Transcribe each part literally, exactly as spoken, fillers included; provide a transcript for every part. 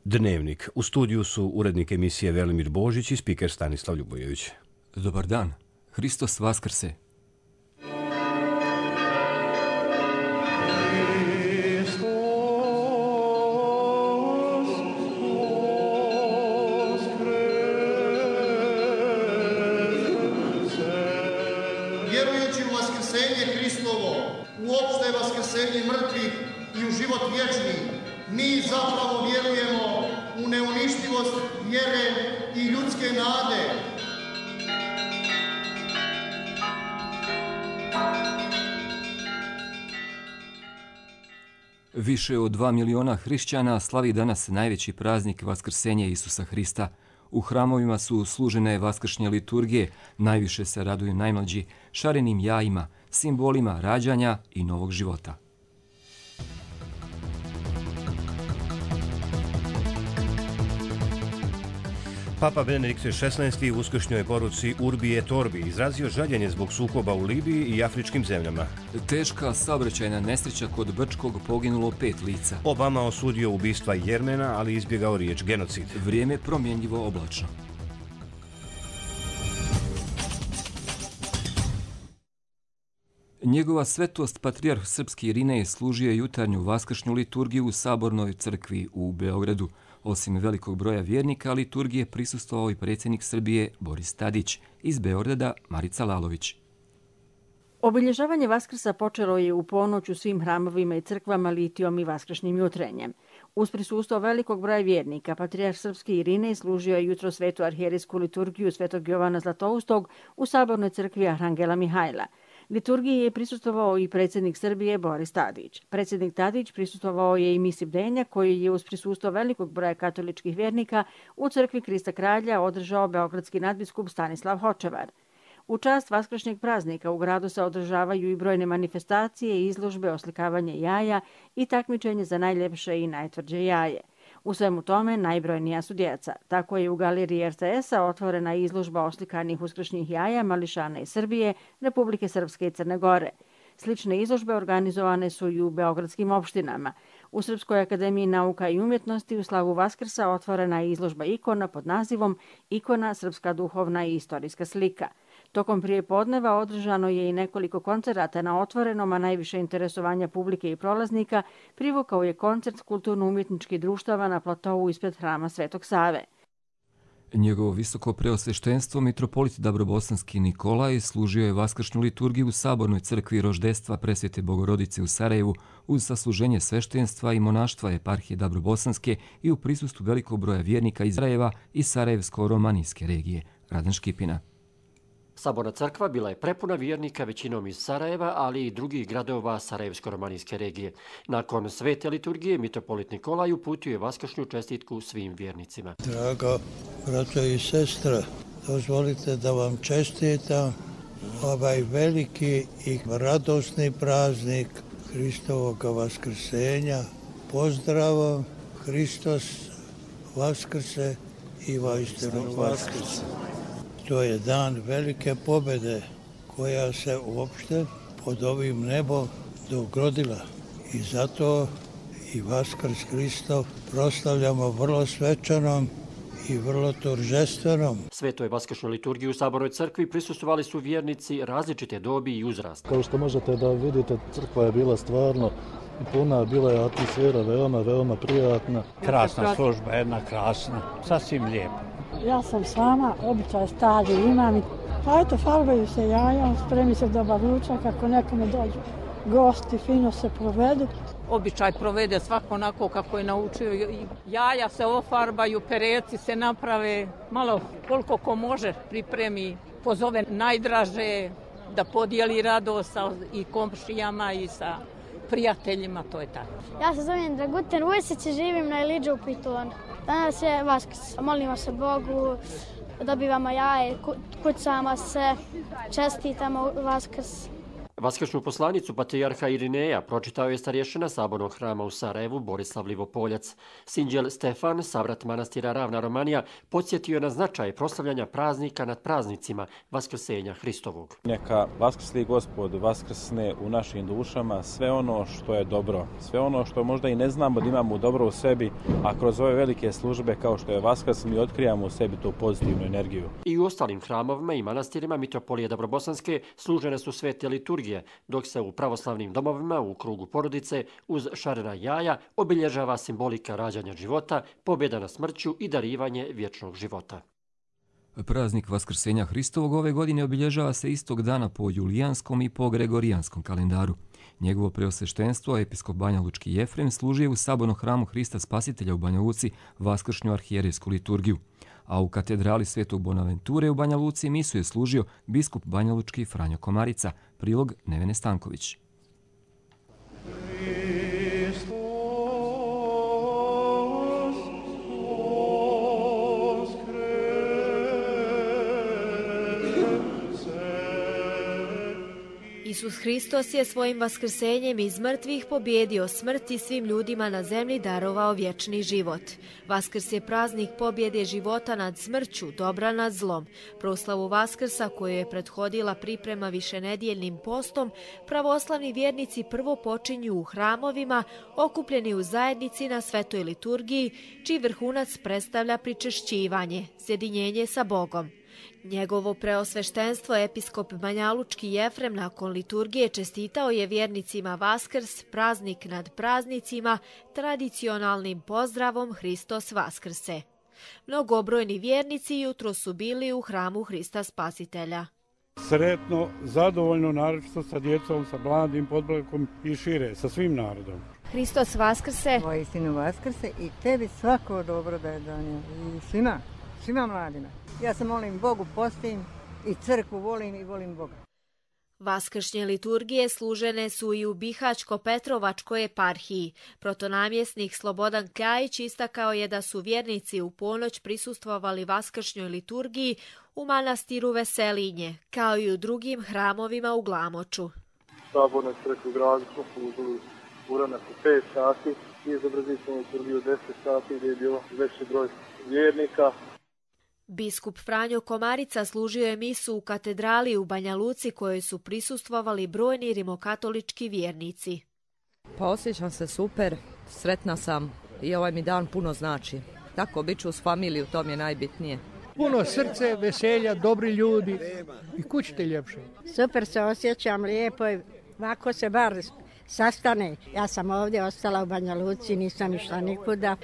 Dnevnik. U studiju su urednik emisije Velimir Božić i spiker Stanislav Ljubojević. Dobar dan. Hristos vaskrse. Vjerujući u vaskrsenje Hristovo, u opšte vaskrsenje mrtvih i u život vječni, mi zapravo vjerujemo u neuništivost vjere i ljudske nade. Više od dva miliona hrišćana slavi danas najveći praznik Vaskrsenje Isusa Hrista. U hramovima su služene vaskršnje liturgije, najviše se raduju najmlađi, šarenim jajima, simbolima rađanja i novog života. Papa Benedikt šesnaesti u uskršnjoj poruci Urbi et Orbi izrazio žaljenje zbog sukoba u Libiji i afričkim zemljama. Teška saobraćajna nesreća kod Brčkog, poginulo pet lica. Obama osudio ubistva Jermena, ali izbjegao riječ genocid. Vrijeme promjenjivo oblačno. Njegova svetost patrijarh srpski Irinej služio je jutarnju vaskršnju liturgiju u Sabornoj crkvi u Beogradu. Osim velikog broja vjernika, liturgije prisustvovao i predsjednik Srbije Boris Tadić, iz Beograda Marica Lalović. Obilježavanje Vaskrsa počelo je u ponoć u svim hramovima i crkvama litijom i vaskršnjim jutrenjem. Uz prisustvo velikog broja vjernika, patrijarh srpski Irinej služio je jutro svetu arhijerejsku liturgiju Svetog Jovana Zlatoustog u Sabornoj crkvi Arhangela Mihajla. Liturgiji je prisustvovao i predsjednik Srbije Boris Tadić. Predsjednik Tadić prisustvovao je i misi bdenja koji je uz prisustvo velikog broja katoličkih vjernika u crkvi Krista Kralja održao beogradski nadbiskup Stanislav Hočevar. U čast vaskršnjeg praznika u gradu se održavaju i brojne manifestacije, izložbe, oslikavanje jaja i takmičenje za najljepše i najtvrđe jaje. U svemu tome najbrojnija su djeca. Tako je u galeriji er te es-a otvorena izložba oslikanih uskršnjih jaja mališana iz Srbije, Republike Srpske i Crne Gore. Slične izložbe organizovane su i u beogradskim opštinama. U Srpskoj akademiji nauka i umjetnosti u slavu Vaskrsa otvorena je izložba ikona pod nazivom Ikona srpska duhovna i istorijska slika. Tokom prijepodneva održano je i nekoliko koncerata na otvorenom, a najviše interesovanja publike i prolaznika privukao je koncert kulturno-umjetničkih društava na platovu ispred hrama Svetog Save. Njegovo visoko preosveštenstvo mitropolit Dabrobosanski Nikolaj služio je vaskršnju liturgiju u Sabornoj crkvi Roždestva Presvete Bogorodice u Sarajevu uz sasluženje sveštenstva i monaštva eparhije Dabrobosanske i u prisustvu velikog broja vjernika iz Sarajeva i Sarajevsko-romanijske regije. Radan Škipina. Saborna crkva bila je prepuna vjernika većinom iz Sarajeva, ali i drugih gradova Sarajevsko-romanijske regije. Nakon svete liturgije, mitropolit Nikolaj uputio je vaskršnju čestitku svim vjernicima. Drago braćo i sestre, dozvolite da vam čestitam ovaj veliki i radosni praznik Hristovog vaskrsenja. Pozdrav, Hristos vaskrse i vaistinu vaskrse. To je dan velike pobjede koja se uopšte pod ovim nebom dogodila i zato i Vaskrs Hristov proslavljamo vrlo svečanom i vrlo торжественom. Svetoj vaskršnjoj liturgiji u Sabornoj crkvi prisustvovali su vjernici različite dobi i uzrasta. Kao što možete da vidite, crkva je bila stvarno puna, bila je atmosfera veoma, veoma prijatna. Krasna služba, jedna krasna, sasvim lijepa. Ja sam sama, običaj stari imam. Pa eto, farbaju se jaja, spremi se dobar ručak, ako nekome dođu gosti, fino se provedu. Običaj provede svako onako kako je naučio. Jaja se ofarbaju, pereci se naprave, malo koliko ko može pripremi, pozove najdraže da podijeli radost sa i komšijama i sa prijateljima, to je tako. Ja se zovem Dragutin Vujsić i živim na Iliđu u Pitonu. Danas je Vaskrs. Molimo se Bogu, dobivamo jaje, kucamo se, čestitamo Vaskrs. Vaskršnju poslanicu patrijarha Irineja pročitao je starješina sabornog hrama u Sarajevu Borislav Livopoljac. Sinđel Stefan, savrat manastira Ravna Romanija, podsjetio je na značaj proslavljanja praznika nad praznicima Vaskrsenja Hristovog. Neka vaskrsli Gospod vaskrsne u našim dušama sve ono što je dobro, sve ono što možda i ne znamo da imamo dobro u sebi, a kroz ove velike službe kao što je Vaskrs mi otkrijamo u sebi tu pozitivnu energiju. I u ostalim hramovima i manastirima Mitropolije Dabrobosanske služene su svete liturgije, dok se u pravoslavnim domovima u krugu porodice uz šarena jaja obilježava simbolika rađanja života, pobjeda na smrću i darivanje vječnog života. Praznik Vaskrsenja Hristovog ove godine obilježava se istog dana po julijanskom i po gregorijanskom kalendaru. Njegovo preosveštenstvo, episkop Banja Lučki Jefrem, služio u sabornom hramu Hrista Spasitelja u Banja Luci vaskršnju arhijerejsku liturgiju. A u katedrali Svetog Bonaventure u Banja Luci misu je služio biskup Banja Lučki Franjo Komarica, prilog Nevene Stanković. Isus Hristos je svojim vaskrsenjem iz mrtvih pobjedio smrt i svim ljudima na zemlji darovao vječni život. Vaskrs je praznik pobjede života nad smrću, dobra nad zlom. Proslavu Vaskrsa, koju je prethodila priprema višenedjeljnim postom, pravoslavni vjernici prvo počinju u hramovima, okupljeni u zajednici na svetoj liturgiji, čiji vrhunac predstavlja pričešćivanje, sjedinjenje sa Bogom. Njegovo preosveštenstvo, episkop Banjalučki Jefrem, nakon liturgije čestitao je vjernicima Vaskrs, praznik nad praznicima, tradicionalnim pozdravom Hristos Vaskrse. Mnogobrojni vjernici jutro su bili u hramu Hrista Spasitelja. Sretno, zadovoljno, naročito sa djecom, sa mladim podblakom i šire, sa svim narodom. Hristos Vaskrse. Tvoj sinu Vaskrse i tebi svako dobro da je donio. I svima, svima mladima. Ja se molim Bogu, postim i crkvu volim i volim Boga. Vaskršnje liturgije služene su i u Bihaćko-Petrovačkoj eparhiji. Protonamjesnik Slobodan Kljajić istakao je da su vjernici u ponoć prisustvovali vaskršnjoj liturgiji u manastiru Veselinje, kao i u drugim hramovima u Glamoču. Sabornoj crkvi u gradu smo služili uranak u pet sati i izobrazili smo liturgiju u deset sati gdje je bilo veći broj vjernika. Biskup Franjo Komarica služio je misu u katedrali u Banja Luci kojoj su prisustvovali brojni rimokatolički vjernici. Pa osjećam se super, sretna sam i ovaj mi dan puno znači. Tako bit ću uz familiju, to mi je najbitnije. Puno srce, veselja, dobri ljudi i kućite ljepše. Super se osjećam, lijepo je, ovako se bar sastane. Ja sam ovdje ostala u Banja Luci, nisam išla nikuda.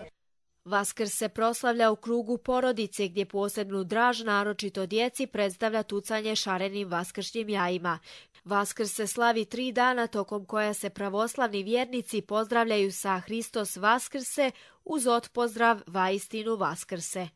Vaskrs se proslavlja u krugu porodice gdje posebnu draž naročito djeci predstavlja tucanje šarenim vaskršnjim jajima. Vaskrs se slavi tri dana tokom koja se pravoslavni vjernici pozdravljaju sa Hristos Vaskrse uz otpozdrav Vaistinu Vaskrse.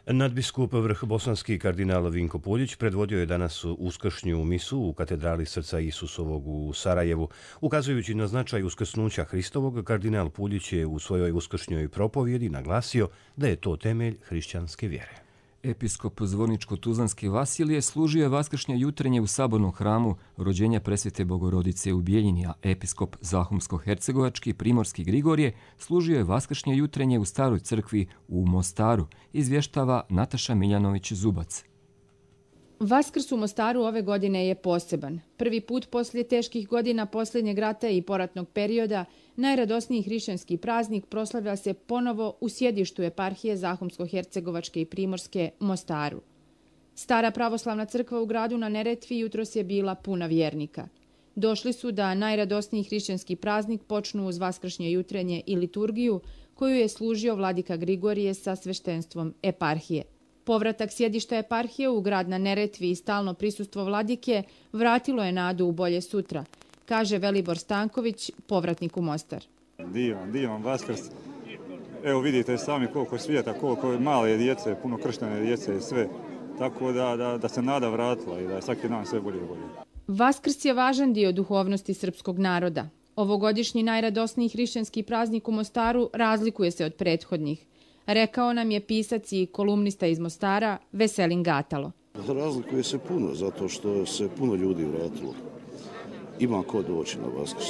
Nadbiskup vrh bosanski kardinal Vinko Puljić predvodio je danas uskršnju misu u katedrali Srca Isusovog u Sarajevu. Ukazujući na značaj uskrsnuća Hristovog, kardinal Puljić je u svojoj uskršnjoj propovjedi naglasio da je to temelj hrišćanske vjere. Episkop Zvorničko-Tuzlanski Vasilije služio je vaskršnje jutrenje u sabornom hramu rođenja presvete Bogorodice u Bijeljini, a episkop Zahumsko-Hercegovački Primorski Grigorije služio je vaskršnje jutrenje u staroj crkvi u Mostaru, izvještava Nataša Miljanović-Zubac. Vaskrs u Mostaru ove godine je poseban. Prvi put poslije teških godina posljednjeg rata i poratnog perioda najradosniji hrišćanski praznik proslavlja se ponovo u sjedištu eparhije Zahumsko-Hercegovačke i Primorske Mostaru. Stara pravoslavna crkva u gradu na Neretvi jutros je bila puna vjernika. Došli su da najradosniji hrišćanski praznik počnu uz vaskršnje jutrenje i liturgiju koju je služio vladika Grigorije sa sveštenstvom eparhije. Povratak sjedišta eparhije u grad na Neretvi i stalno prisustvo vladike vratilo je nadu u bolje sutra, kaže Velibor Stanković, povratnik u Mostar. Divan, divan Vaskrs. Evo vidite sami koliko svijeta, koliko male djece, puno krštene djece i sve. Tako da, da, da se nada vratila i da je svaki dan sve bolje i bolje. Vaskrs je važan dio duhovnosti srpskog naroda. Ovogodišnji najradosniji hrišćanski praznik u Mostaru razlikuje se od prethodnih. Rekao nam je pisac i kolumnista iz Mostara Veselin Gatalo. Razlikuje se puno, zato što se puno ljudi vratilo. ima ko doći na Vaskrs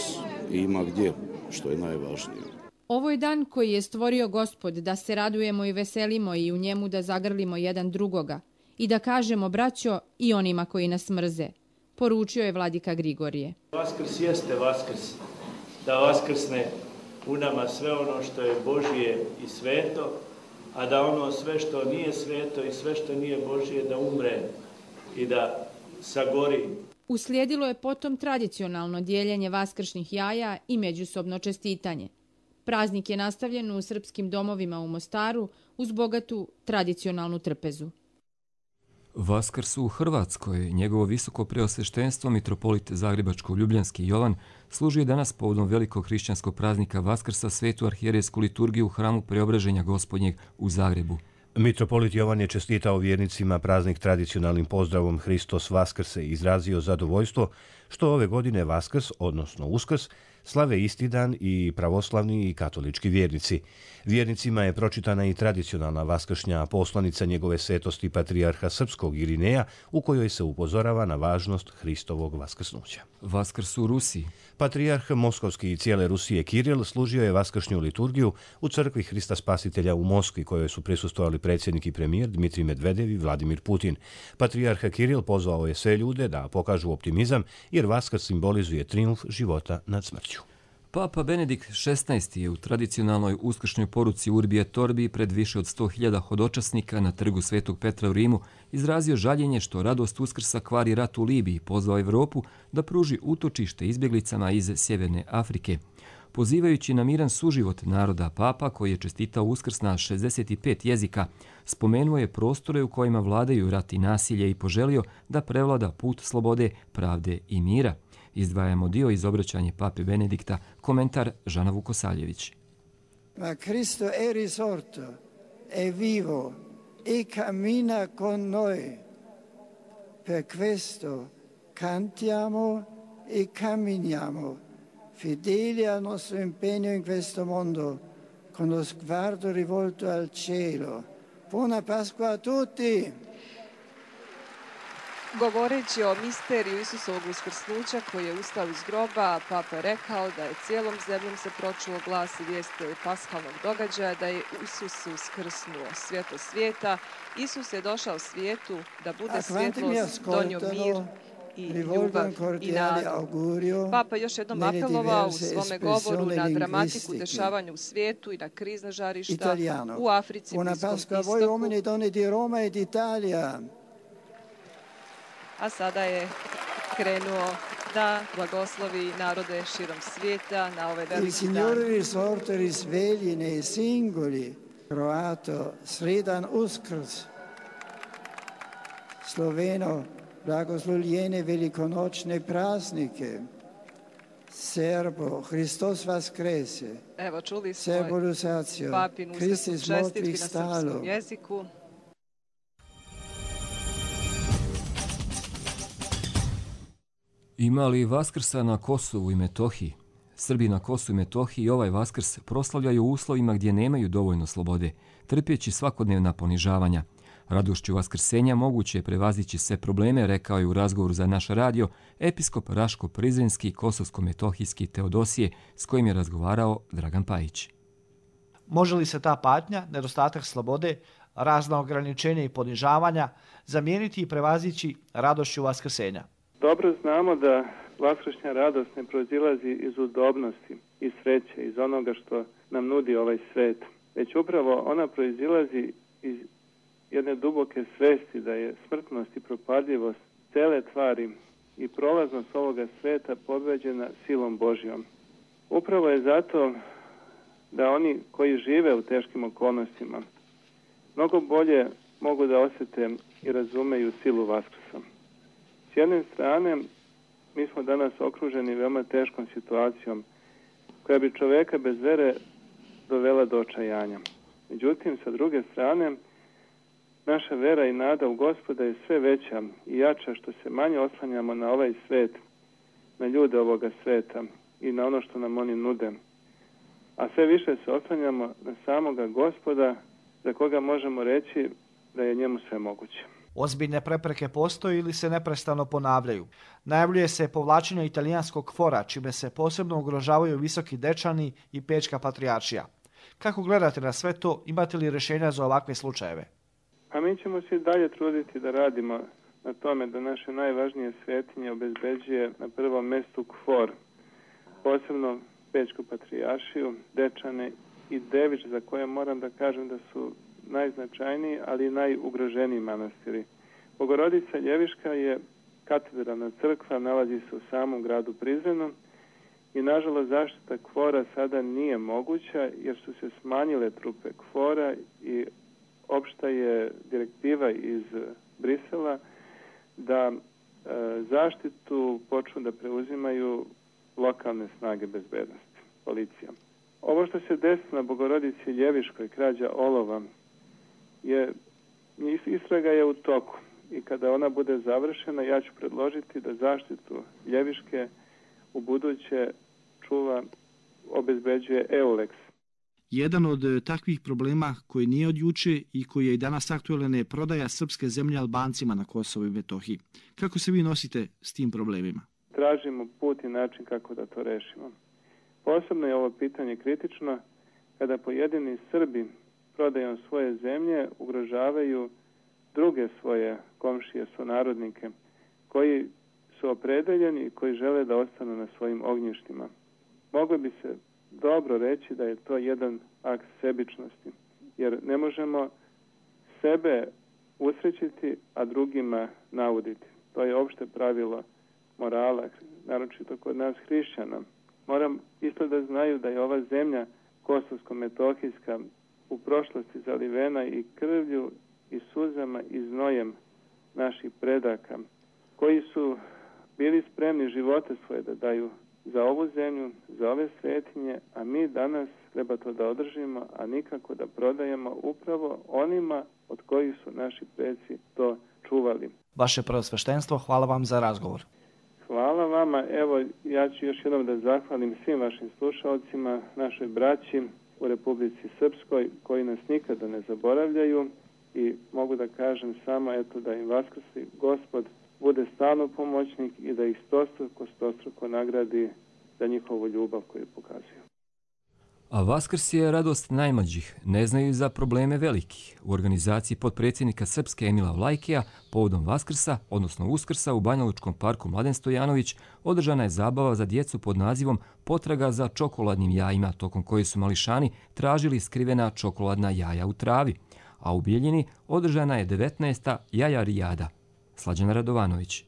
i ima gdje, što je najvažnije. Ovo je dan koji je stvorio Gospod da se radujemo i veselimo i u njemu da zagrlimo jedan drugoga i da kažemo braćo i onima koji nas mrze, poručio je vladika Grigorije. Vaskrs jeste Vaskrs, da vaskrsne u nama sve ono što je Božije i sveto, a da ono sve što nije sveto i sve što nije Božije da umre i da sagori. Uslijedilo je potom tradicionalno dijeljenje vaskršnjih jaja i međusobno čestitanje. Praznik je nastavljen u srpskim domovima u Mostaru uz bogatu tradicionalnu trpezu. Vaskrs u Hrvatskoj, njegovo visoko preosveštenstvo mitropolit Zagrebačko-Ljubljanski Jovan služi danas povodom velikog hrišćanskog praznika Vaskrsa svetu arhijerejsku liturgiju u hramu Preobraženja Gospodnjeg u Zagrebu. Mitropolit Jovan je čestitao vjernicima praznik tradicionalnim pozdravom Hristos Vaskrse i izrazio zadovoljstvo što ove godine Vaskrs, odnosno Uskrs, slave isti dan i pravoslavni i katolički vjernici. Vjernicima je pročitana i tradicionalna vaskršnja poslanica njegove svetosti patrijarha srpskog Irineja u kojoj se upozorava na važnost Hristovog vaskrsnuća. Vaskrs u Rusiji. Patrijarh Moskovski i cijele Rusije Kiril služio je vaskršnju liturgiju u crkvi Hrista Spasitelja u Moskvi, kojoj su prisustvovali predsjednik i premijer Dmitrij Medvedev i Vladimir Putin. Patrijarh Kiril pozvao je sve ljude da pokažu optimizam jer Vaskrs simbolizuje trijumf života nad smrću. Papa Benedikt šesnaesti je u tradicionalnoj uskršnjoj poruci Urbi et Orbi pred više od sto hiljada hodočasnika na trgu Svetog Petra u Rimu izrazio žaljenje što radost Uskrsa kvari rat u Libiji, pozvao Evropu da pruži utočište izbjeglicama iz Sjeverne Afrike. Pozivajući na miran suživot naroda, Papa, koji je čestitao Uskrs na šezdeset pet jezika, spomenuo je prostore u kojima vladaju rat i nasilje i poželio da prevlada put slobode, pravde i mira. Izdvajamo dio iz obraćanja Pape Benedikta, komentar Žana Vukosaljević. Ma Cristo è risorto, è vivo e cammina con noi. Per questo cantiamo e camminiamo, fedeli al nostro impegno in questo mondo, con lo sguardo rivolto al cielo. Buona Pasqua a tutti! Govoreći o misteriju Isusovog uskrsnuća koji je ustao iz groba, Papa je rekao da je cijelom zemljom se pročulo glas i vijest paskalnog događaja, da je Isus uskrsnuo, svjetlo svijeta. Isus je došao svijetu da bude svjetlost, donio mir i ljubav i nadu. Papa još jednom apelovao u svome govoru na dramatiku dešavanja u svijetu i na krizna žarišta u Africi, Bliskom istoku. A sada je krenuo da blagoslovi narode širom svijeta na ovaj veliki dan. Il Signore risorto risvegli nei singoli, croato, sredan Uskrs, sloveno, blagoslovljene velikonočne praznike, Serbo, Hristos Vaskrese, evo čuli smo papinu uskrsnu čestitku na srpskom jeziku. Ima li Vaskrsa na Kosovu i Metohiji? Srbi na Kosovu i Metohiji ovaj Vaskrs proslavljaju u uslovima gdje nemaju dovoljno slobode, trpjeći svakodnevna ponižavanja. Radošću vaskrsenja moguće je prevazići sve probleme, rekao je u razgovoru za naš radio episkop Raško-Prizrenski kosovsko-metohijski Teodosije, s kojim je razgovarao Dragan Pajić. Može li se ta patnja, nedostatak slobode, razna ograničenja i ponižavanja zamijeniti i prevazići radošću vaskrsenja? Dobro znamo da vaskršnja radost ne proizilazi iz udobnosti, iz sreće, iz onoga što nam nudi ovaj svet, već upravo ona proizilazi iz jedne duboke svesti da je smrtnost i propadljivost cele tvari i prolaznost ovoga sveta pobeđena silom Božjom. Upravo je zato da oni koji žive u teškim okolnostima mnogo bolje mogu da osjete i razumeju silu Vaskrsa. S jedne strane, mi smo danas okruženi veoma teškom situacijom koja bi čoveka bez vere dovela do očajanja. Međutim, sa druge strane, naša vera i nada u Gospoda je sve veća i jača što se manje oslanjamo na ovaj svet, na ljude ovoga sveta i na ono što nam oni nude. A sve više se oslanjamo na samoga Gospoda za koga možemo reći da je njemu sve moguće. Ozbiljne prepreke postoje ili se neprestano ponavljaju. Najavljuje se povlačenje italijanskog fora, čime se posebno ugrožavaju Visoki Dečani i Pečka patrijaršija. Kako gledate na sve to? Imate li rješenja za ovakve slučajeve? A mi ćemo se dalje truditi da radimo na tome da naše najvažnije svetinje obezbeđuje na prvom mjestu KFOR, posebno Pečku patrijaršiju, Dečane i Devič, za koje moram da kažem da su najznačajniji, ali i najugroženiji manastiri. Bogorodica Ljeviška je katedralna crkva, nalazi se u samom gradu Prizrenu i nažalost zaštita KFOR-a sada nije moguća jer su se smanjile trupe KFOR-a i opšta je direktiva iz Brisela da e, zaštitu počnu da preuzimaju lokalne snage bezbednosti, policija. Ovo što se desilo na Bogorodici Ljeviškoj, krađa olova, je, istraga je u toku i kada ona bude završena, ja ću predložiti da zaštitu Ljeviške u buduće čuva, obezbeđuje EULEX. Jedan od takvih problema koji nije od juče i koji je i danas aktualan je prodaja srpske zemlje Albancima na Kosovu i Metohiji. Kako se vi nosite s tim problemima? Tražimo put i način kako da to rešimo. Posebno je ovo pitanje kritično kada pojedini Srbi prodajom svoje zemlje ugrožavaju druge svoje komšije, sunarodnike, koji su opredeljeni i koji žele da ostanu na svojim ognjištima. Moglo bi se dobro reći da je to jedan akt sebičnosti, jer ne možemo sebe usrećiti, a drugima nauditi. To je opšte pravilo morala, naročito kod nas hrišćana. Moram isto da znaju da je ova zemlja kosovsko-metohijska u prošlosti zalivena i krvlju i suzama i znojem naših predaka, koji su bili spremni živote svoje da daju za ovu zemlju, za ove svetinje, a mi danas treba to da održimo, a nikako da prodajemo upravo onima od kojih su naši preci to čuvali. Vaše preosveštenstvo, hvala vam za razgovor. Hvala vama. Evo, ja ću još jednom da zahvalim svim vašim slušalcima, našoj braći u Republici Srpskoj, koji nas nikada ne zaboravljaju i mogu da kažem samo eto da im vaskrsi Gospod bude stalno pomoćnik i da ih stostruko, stostruko nagradi za njihovu ljubav koju pokazuju. A Vaskrs je radost najmlađih, ne znaju za probleme velikih. U organizaciji potpredsjednika Srpske Emila Vlajkija povodom Vaskrsa, odnosno Uskrsa u Banjalučkom parku Mladen Stojanović, održana je zabava za djecu pod nazivom Potraga za čokoladnim jajima, tokom koje su mališani tražili skrivena čokoladna jaja u travi. A u Bijeljini održana je devetnaesta jajarijada. Slađana Radovanović.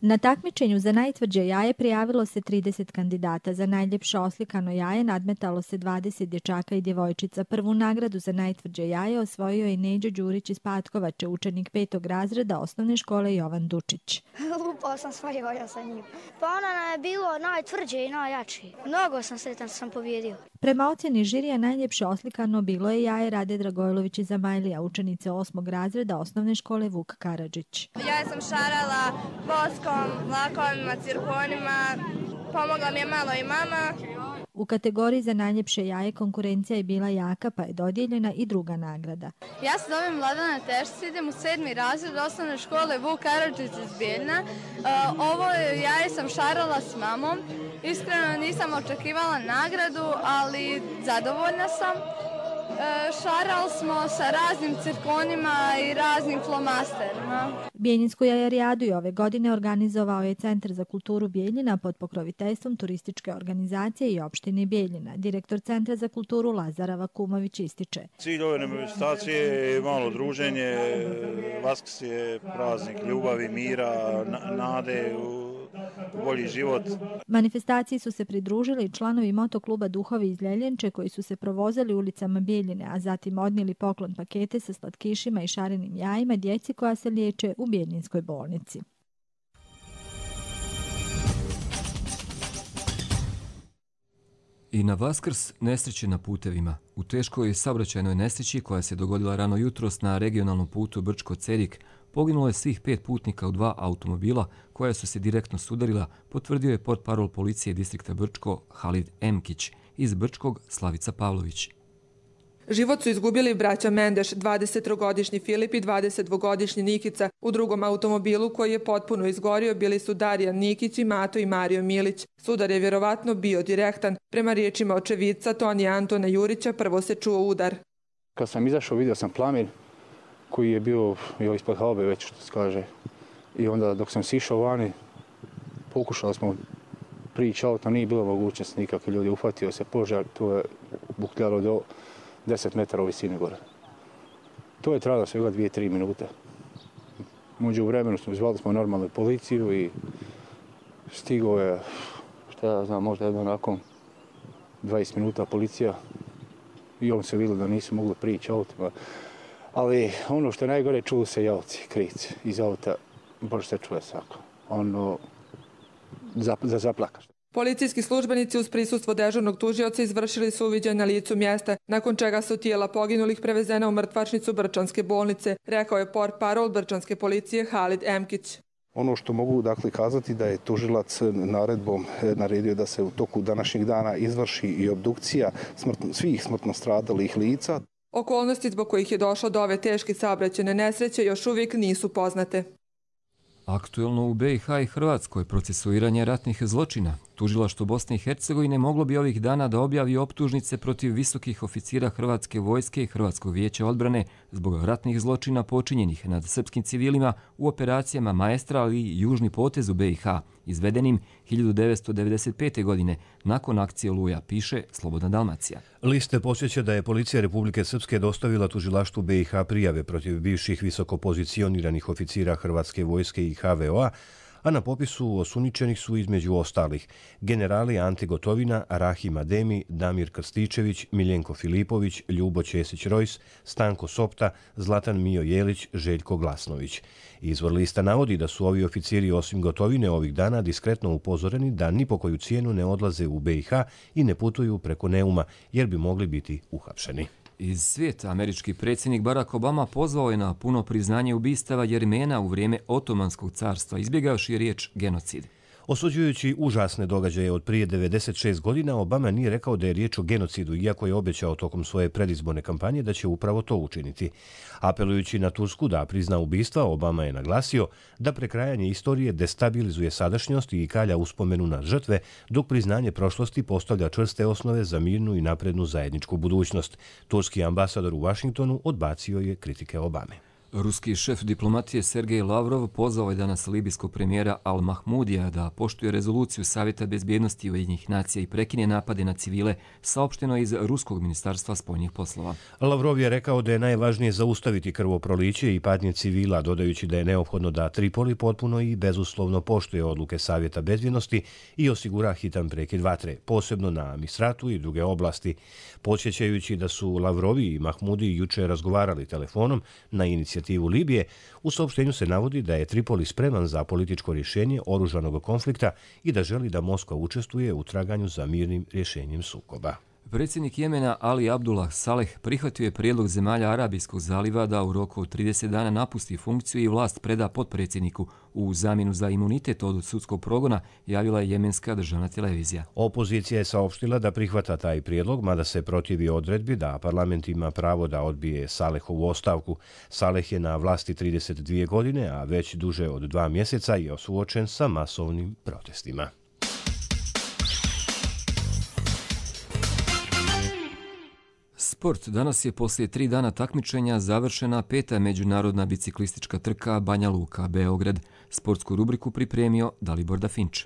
Na takmičenju za najtvrđe jaje prijavilo se trideset kandidata. Za najljepše oslikano jaje nadmetalo se dvadeset dječaka i djevojčica. Prvu nagradu za najtvrđe jaje osvojio je Neđo Đurić iz Patkovače, učenik petog razreda osnovne škole Jovan Dučić. Lupao sam svoje jaja sa njim. Pa ona je bilo najtvrđe i najjače. Mnogo sam sretan što sam pobjedio. Prema ocjeni žirija najljepše oslikano bilo je jaje Rade Dragojlović iz Zamajlija, učenice osmog razreda osnovne škole Vuk Karadžić. Ja sam šarala voskom, lakovima, cirkonima, pomogla mi je malo i mama. U kategoriji za najljepše jaje konkurencija je bila jaka, pa je dodijeljena i druga nagrada. Ja se zovem Vladana Tešić, idem u sedmi razred osnovne škole Vuk Karadžić iz Bijeljina. Ovo jaje sam šarala s mamom. Iskreno nisam očekivala nagradu, ali zadovoljna sam. Šarali smo sa raznim cirkonima i raznim flomasterima. Bijeljinsku jajarijadu je ove godine organizovao je Centar za kulturu Bijeljina pod pokroviteljstvom turističke organizacije i opštine Bijeljina. Direktor Centra za kulturu Lazara Vakumović ističe. Cilj ove manifestacije je malo druženje. Vaskrs je praznik ljubavi, mira, nade u bolji život. Manifestaciji su se pridružili članovi motokluba Duhovi iz Ljeljenče koji su se provozali ulicama Bijeljine, a zatim odnijeli poklon pakete sa slatkišima i šarenim jajima djeci koja se liječe u Bijeljinskoj bolnici. I na Vaskrs nesreće na putevima. U teškoj saobraćajnoj nesreći koja se dogodila rano jutros na regionalnom putu Brčko-Cerik poginulo je svih pet putnika u dva automobila koja su se direktno sudarila, potvrdio je portparol policije distrikta Brčko Halid Emkić, iz Brčkog Slavica Pavlović. Život su izgubili braća Mendeš, dvadesettrogodišnji Filip i dvadesetdvogodišnji Nikica. U drugom automobilu koji je potpuno izgorio bili su Darijan Nikić i Mato i Mario Milić. Sudar je vjerovatno bio direktan. Prema riječima očevidca Tonija Antona Jurića prvo se čuo udar. Kad sam izašao vidio sam plamen koji je bio jo, ispod haube već što se kaže. I onda dok sam sišao vani pokušali smo prići auto, nije bilo mogućnosti nikakve ljudi. Ufatio se požar, to je bukljalo do deset metara u visini gore. To je trajalo svega dvije, tri minute. Među vremenu smo zvali smo normalnu policiju i stigao je, šta ja znam, možda jedno nakon dvadeset minuta policija i on se vidio da nisu mogli prići autima. Ali ono što je najgore, čuo se javci, krici iz auta, baš se čuje svako. Ono, za, za zaplakaš. Policijski službenici uz prisustvo dežurnog tužioca izvršili su uviđaj na licu mjesta, nakon čega su tijela poginulih prevezena u mrtvačnicu Brčanske bolnice, rekao je portparol Brčanske policije Halid Emkić. Ono što mogu dakle kazati da je tužilac naredbom naredio da se u toku današnjeg dana izvrši i obdukcija smrtno, svih smrtno stradalih lica. Okolnosti zbog kojih je došlo do ove teške saobraćajne nesreće još uvijek nisu poznate. Aktuelno u be i ha i Hrvatskoj procesuiranje ratnih zločina. Tužilaštvo Bosne i Hercegovine moglo bi ovih dana da objavi optužnice protiv visokih oficira Hrvatske vojske i Hrvatskog vijeća odbrane zbog ratnih zločina počinjenih nad srpskim civilima u operacijama Maestra ali i Južni potez u be i ha, izvedenim hiljadu devetsto devedeset pete. godine nakon akcije Oluja, piše Slobodna Dalmacija. Liste podsjeća da je policija Republike Srpske dostavila tužilaštvu be i ha prijave protiv bivših visokopozicioniranih oficira Hrvatske vojske i ha ve o a, a na popisu osumnjičenih su između ostalih generali Ante Gotovina, Rahim Ademi, Damir Krstičević, Miljenko Filipović, Ljubo Ćesić-Rojs, Stanko Sopta, Zlatan Mijo Jelić, Željko Glasnović. Izvor lista navodi da su ovi oficiri osim Gotovine ovih dana diskretno upozoreni da ni po koju cijenu ne odlaze u be i ha i ne putuju preko Neuma, jer bi mogli biti uhapšeni. Iz svijeta američki predsjednik Barack Obama pozvao je na puno priznanje ubistava Jermena u vrijeme Otomanskog carstva, izbjegavši riječ genocid. Osuđujući užasne događaje od prije devedeset šest godina, Obama nije rekao da je riječ o genocidu, iako je obećao tokom svoje predizborne kampanje da će upravo to učiniti. Apelujući na Tursku da prizna ubistva, Obama je naglasio da prekrajanje istorije destabilizuje sadašnjost i kalja uspomenu na žrtve, dok priznanje prošlosti postavlja čvrste osnove za mirnu i naprednu zajedničku budućnost. Turski ambasador u Vašingtonu odbacio je kritike Obame. Ruski šef diplomatije Sergej Lavrov pozvao je danas libijskog premijera Al-Mahmudija da poštuje rezoluciju Savjeta bezbjednosti Ujedinjenih nacija i prekine napade na civile, saopšteno iz Ruskog ministarstva spoljnih poslova. Lavrov je rekao da je najvažnije zaustaviti krvoproliće i patnje civila, dodajući da je neophodno da Tripoli potpuno i bezuslovno poštuje odluke Savjeta bezbjednosti i osigura hitan prekid vatre, posebno na Misratu i druge oblasti. Podsjećajući da su Lavrovi i Mahmudi juče razgovarali telefonom na inicijativu Libije, u saopštenju se navodi da je Tripoli spreman za političko rješenje oružanog konflikta i da želi da Moskva učestvuje u traganju za mirnim rješenjem sukoba. Predsjednik Jemena Ali Abdullah Saleh prihvatio je prijedlog zemalja Arabijskog zaliva da u roku od trideset dana napusti funkciju i vlast preda potpredsjedniku u zamjenu za imunitet od sudskog progona, javila je jemenska državna televizija. Opozicija je saopštila da prihvata taj prijedlog, mada se protivi odredbi da parlament ima pravo da odbije Salehovu ostavku. Saleh je na vlasti trideset dvije godine, a već duže od dva mjeseca je suočen sa masovnim protestima. Sport. Danas je poslije tri dana takmičenja završena peta međunarodna biciklistička trka Banja Luka Beograd. Sportsku rubriku pripremio Dalibor Dafinč.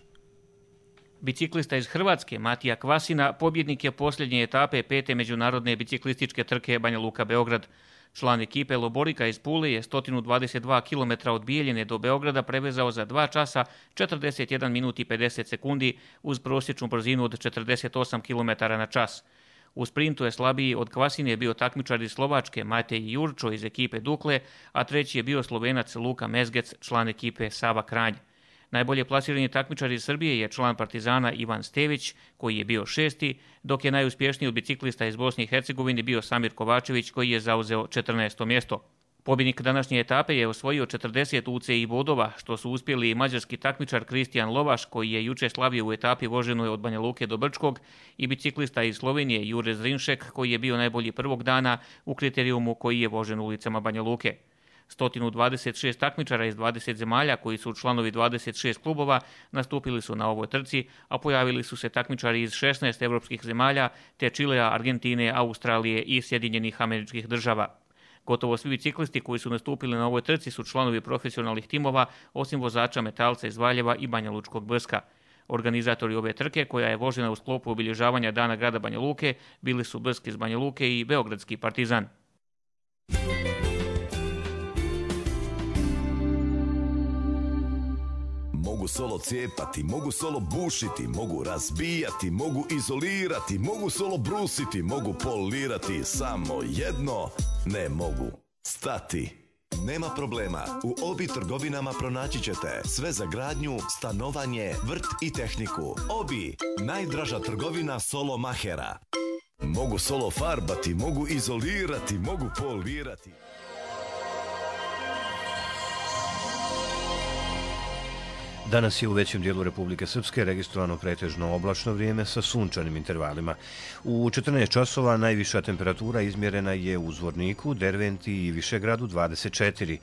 Biciklista iz Hrvatske Matija Kvasina pobjednik je posljednje etape pete međunarodne biciklističke trke Banja Luka Beograd. Član ekipe Loborika iz Pule je sto dvadeset dva kilometra od Bijeljine do Beograda prevezao za dva časa četrdeset jedan minut i pedeset sekundi uz prosječnu brzinu od četrdeset osam kilometara na čas. U sprintu je slabiji od Kvasine bio takmičar iz Slovačke Matej Jurčo iz ekipe Dukle, a treći je bio Slovenac Luka Mezgec, član ekipe Sava Kranj. Najbolje plasirani takmičar iz Srbije je član Partizana Ivan Stević, koji je bio šesti, dok je najuspješniji od biciklista iz Bosne i Hercegovine bio Samir Kovačević, koji je zauzeo četrnaesto mjesto. Pobjednik današnje etape je osvojio četrdeset U C I bodova, što su uspjeli mađarski takmičar Kristijan Lovaš, koji je juče slavio u etapi voženoj od Banja Luke do Brčkog, i biciklista iz Slovenije Jure Zrinšek, koji je bio najbolji prvog dana u kriterijumu koji je vožen ulicama Banja Luke. sto dvadeset šest takmičara iz dvadeset zemalja, koji su članovi dvadeset šest klubova, nastupili su na ovoj trci, a pojavili su se takmičari iz šesnaest evropskih zemalja, te Čilea, Argentine, Australije i Sjedinjenih Američkih Država. Gotovo svi biciklisti koji su nastupili na ovoj trci su članovi profesionalnih timova, osim vozača Metalca iz Valjeva i Banja Lučkog Brska. Organizatori ove trke, koja je vožena u sklopu obilježavanja Dana grada Banja Luke, bili su Brsk iz Banja Luke i Beogradski Partizan. Mogu solo cijepati, mogu solo bušiti, mogu razbijati, mogu izolirati, mogu solo brusiti, mogu polirati, samo jedno ne mogu stati. Nema problema, u Obi trgovinama pronaći ćete sve za gradnju, stanovanje, vrt i tehniku. Obi, najdraža trgovina solo mahera. Mogu solo farbati, mogu izolirati, mogu polirati. Danas je u većem dijelu Republike Srpske registrovano pretežno oblačno vrijeme sa sunčanim intervalima. U četrnaest časova najviša temperatura izmjerena je u Zvorniku, Derventi i Višegradu dvadeset četiri.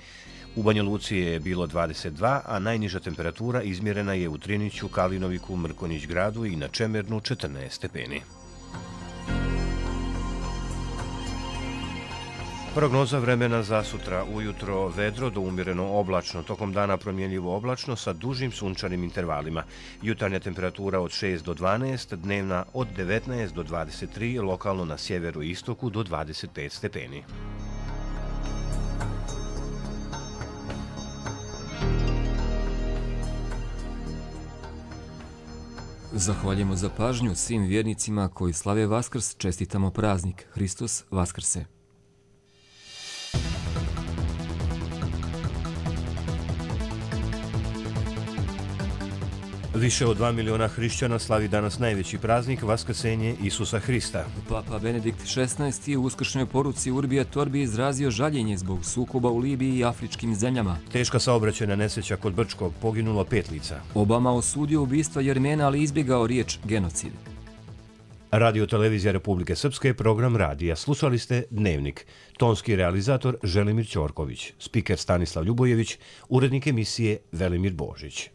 U Banja Luci je bilo dvadeset dva, a najniža temperatura izmjerena je u Triniću, Kalinoviku, Mrkonjić gradu i na Čemernu četrnaest stepeni. Prognoza vremena za sutra: ujutro vedro do umjereno oblačno, tokom dana promjenljivo oblačno sa dužim sunčanim intervalima. Jutarnja temperatura od šest do dvanaest, dnevna od devetnaest do dvadeset tri, lokalno na sjeveru i istoku do dvadeset pet stepeni. Zahvaljujemo za pažnju svim vjernicima koji slave Vaskrs, čestitamo praznik. Hristos Vaskrse! Više od dva miliona hrišćana slavi danas najveći praznik, Vaskrsenje Isusa Hrista. Papa Benedikt šesnaesti je u uskršnjoj poruci Urbi et Orbi izrazio žaljenje zbog sukoba u Libiji i afričkim zemljama. Teška saobraćajna nesreća kod Brčkog, poginulo pet lica. Obama osudio ubistva Jermena, ali izbjegao riječ genocid. Radio Televizija Republike Srpske, program radija. Slušali ste Dnevnik. Tonski realizator Želimir Ćorković, spiker Stanislav Ljubojević, urednik emisije Velimir Božić.